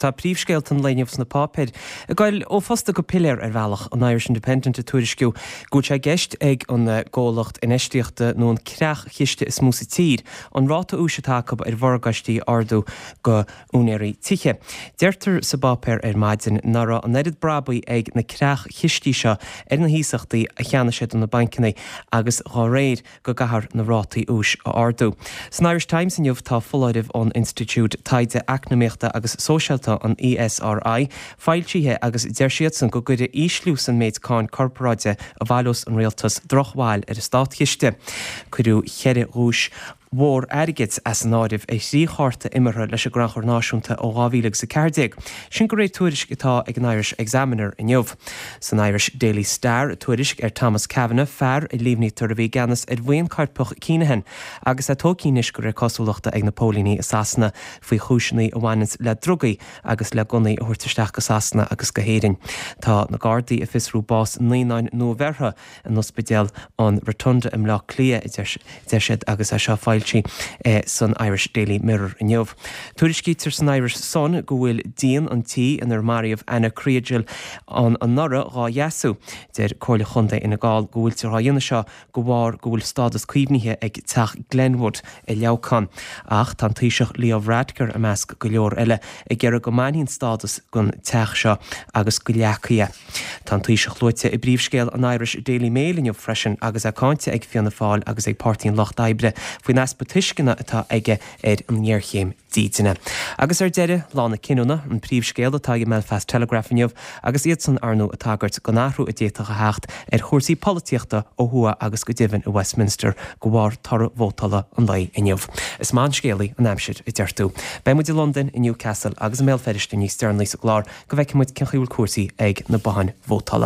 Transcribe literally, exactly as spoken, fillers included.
tá príomhscéalta an lae inniu sna páipéir ag goil ó phosta go piléar ar bhealach, an Irish Independent ag tuairisciú go bhfuil sé i gceist ag an gcomhlacht infheistíochta nó an creach-chiste is mó sa tír an ráta úis atá acu ar mhorgáistí a ardú go úinéirí tithe. Deirtear sa bpáipéar ar maidin nach raibh an oiread brabaigh ag na creach-chistí seo ar na hiasachtaí a cheannaigh siad ó na bancanna agus dá réir go gcaithfear na rátaí úis a ardú. San Irish Times inniu tá foláireamh ón Institiúid Taighde Eacnamaíochta agus Sóisialta, an E S R I, foilsithe agus deir siadsan go gcuirfidh ísliú san méid cáin corparáide a bhaileos an rialtas drochbhail ar an státchiste. Cuireadh ceithre dhuais mhór airgid as an áireamh ar thrí chárta imeartha leis an gCrannchur Náisiúnta ó dhá mhíle agus a ceathair déag. Sin de réir tuairisc atá ag an Irish Examiner inniu. San Irish Daily Star tuairisc ar Thomas Kavanagh, fear a líomhnaítear a bhí i gceannas ar bhuíon coirpeach Kinahan agus é tógtha anois de réir cosúlachta ag na póilíní i Sasana faoi chúiseanna a bhaineanns le drugaí agus le gunnaí a thabhairt isteach go Sasana agus go hÉirinn. Tá na Gardaí ag fiosrú bás naíonáin nuabheirthe in ospidéal an Rotunda i mBleá Cliath, a deir siad, agus é seo foilsithe san Irish Daily Mirror inniu. Tuairiscítear san Irish Sun go bhfuil díon an tí inar maraíodh Anna Kriégel an anuraidh dhá dheasú. Deir Comhairle Chontae Fhine Gall go bhfuiltear á dhéanamh seo de bharr go bhfuil stádas caomhnaithe ag teach Glenwood i Leamhcán. Ach tá an Taoiseach Leo Varadkar i measc go leor eile ag iarraidh go mbainfí an stádas den teach seo agus go leagfaí é. Tá an Taoiseach luaite i bpríomhscéal an Irish Daily Mail inniu freisin agus é cáinte ag Fianna Fáil agus ag Páirtí an Lucht Oibre faoin easpa tuisceana atá aige ar an ngéarchéim dídine. Agus ar deireadh, lá na cinniúna, an príomhscéal atá ag an mBelfast Telegraph inniu agus iadsan ar ndóigh ag tagairt don athrú a d'fhéadfadh a theacht ar chúrsaí polaitíochta ó thuaidh agus go deimhin i Westminster de bharr toradh vótála an lae inniu. Is maith an scéalaí an aimsir, a deir tú. Beidh muid i Londain, i Newcastle agus i mBéal Feirste níos deireanaí sa gclár go bhfeicfidh muid cén chaoi a bhfuil cúrsaí ag na botháin vótála.